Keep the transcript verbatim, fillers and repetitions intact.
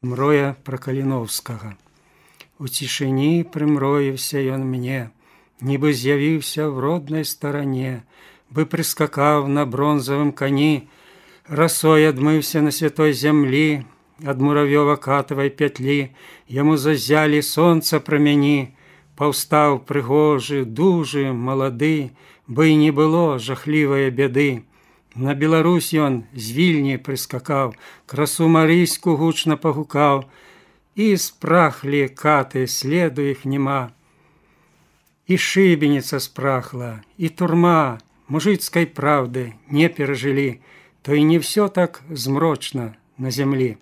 Мроя пра Каліноўскага. У цішыні прымроіўся ён мне, нібы з'явіўся в роднай старане, бы прыскакаў на бронзавым кані, расой адмыўся на святой зямлі, ад муравёва-катавай пятлі яму зазялі сонца прамяні, паўстаў прыгожы, дужы, малады, бы і не было жахлівае бяды. На Беларусь ён з Вільні прыскакаў, красу марыйску гучна пагукаў, і спрахлі каты, следу іх няма. І шыбеніца спрахла, і турма, мужыцкай праўды не перажылі, то і не ўсё так змрочна на зямлі.